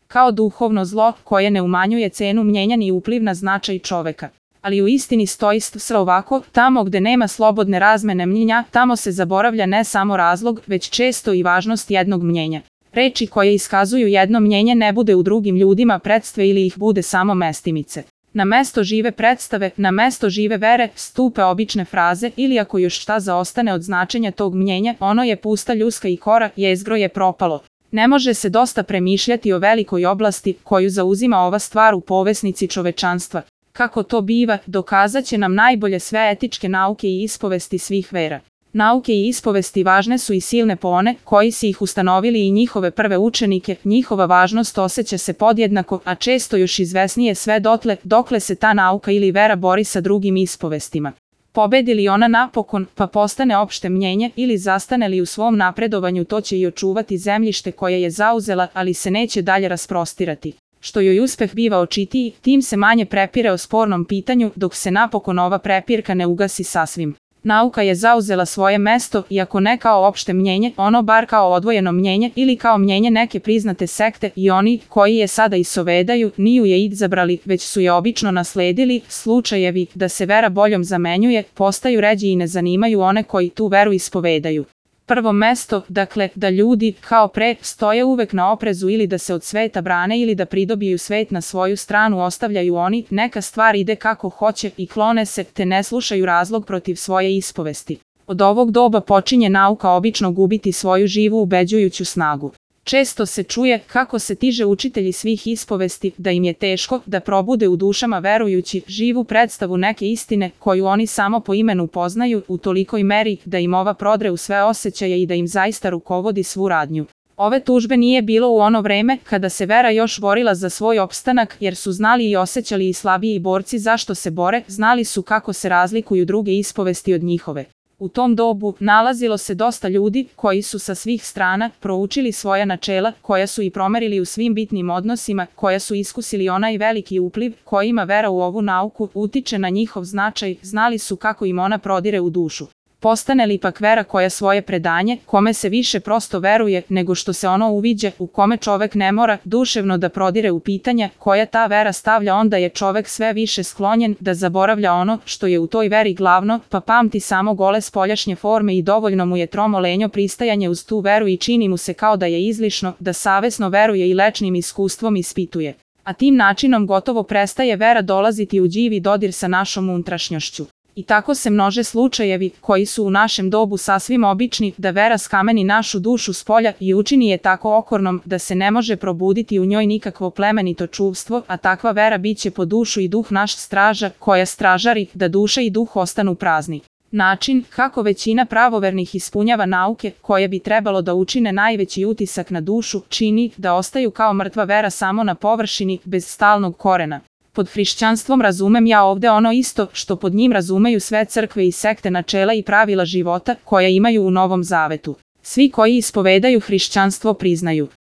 kao duhovno zlo koje ne umanjuje cenu mnjenja ni upliv na značaj čoveka. Ali u istini stoji sve ovako, tamo gde nema slobodne razmene mnjenja, tamo se zaboravlja ne samo razlog, već često i važnost jednog mnjenja. Reči koje iskazuju jedno mnjenje ne bude u drugim ljudima predstave ili ih bude samo mestimice. Na mesto žive predstave, na mesto žive vere, stupe obične fraze ili ako još šta zaostane od značenja tog mnjenja, ono je pusta ljuska i kora, jezgro je propalo. Ne može se dosta premišljati o velikoj oblasti koju zauzima ova stvar u povesnici čovečanstva. Kako to biva, dokazat će nam najbolje sve etičke nauke i ispovesti svih vera. Nauke i ispovesti važne su i silne po one koji si ih ustanovili i njihove prve učenike, njihova važnost osjeća se podjednako, a često još izvesnije sve dotle, dokle se ta nauka ili vera bori sa drugim ispovestima. Pobedi li ona napokon, pa postane opšte mnjenje, ili zastane li u svom napredovanju, to će i očuvati zemljište koje je zauzela, ali se neće dalje rasprostirati. Što joj uspeh biva očitiji, tim se manje prepire o spornom pitanju, dok se napokon ova prepirka ne ugasi sasvim. Nauka je zauzela svoje mesto, iako ne kao opšte mnjenje, ono bar kao odvojeno mnjenje ili kao mnjenje neke priznate sekte, i oni koji je sada isovedaju niju je izabrali, već su je obično nasledili. Slučajevi da se vera boljom zamenjuje postaju ređi i ne zanimaju one koji tu veru ispovedaju. Prvo mesto, dakle, da ljudi, kao pre, stoje uvek na oprezu ili da se od sveta brane ili da pridobiju svet na svoju stranu ostavljaju oni, neka stvar ide kako hoće i klone se, te ne slušaju razlog protiv svoje ispovesti. Od ovog doba počinje nauka obično gubiti svoju živu ubeđujuću snagu. Često se čuje kako se tiže učitelji svih ispovesti, da im je teško da probude u dušama verujući živu predstavu neke istine koju oni samo po imenu poznaju u tolikoj meri da im ova prodre u sve osjećaje i da im zaista rukovodi svu radnju. Ove tužbe nije bilo u ono vreme kada se vera još borila za svoj opstanak, jer su znali i osjećali i slabiji borci zašto se bore, znali su kako se razlikuju druge ispovesti od njihove. U tom dobu nalazilo se dosta ljudi koji su sa svih strana proučili svoja načela, koja su i promerili u svim bitnim odnosima, koja su iskusili onaj veliki upliv kojima vera u ovu nauku utiče na njihov značaj, znali su kako im ona prodire u dušu. Postane li pak vera koja svoje predanje, kome se više prosto veruje nego što se ono uviđa, u kome čovek ne mora duševno da prodire u pitanja koja ta vera stavlja, onda je čovek sve više sklonjen da zaboravlja ono što je u toj veri glavno, pa pamti samo gole spoljašnje forme i dovoljno mu je tromo lenjo pristajanje uz tu veru i čini mu se kao da je izlišno, da savesno veruje i lečnim iskustvom ispituje. A tim načinom gotovo prestaje vera dolaziti u živi dodir sa našom unutrašnjošću. I tako se množe slučajevi koji su u našem dobu sasvim obični, da vera skameni našu dušu spolja i učini je tako okornom da se ne može probuditi u njoj nikakvo plemenito čuvstvo, a takva vera biće po dušu i duh naš straža, koja stražari da duša i duh ostanu prazni. Način kako većina pravovernih ispunjava nauke koje bi trebalo da učine najveći utisak na dušu, čini da ostaju kao mrtva vera samo na površini, bez stalnog korena. Pod hrišćanstvom razumem ja ovde ono isto što pod njim razumeju sve crkve i sekte načela i pravila života koja imaju u Novom Zavetu. Svi koji ispovedaju hrišćanstvo priznaju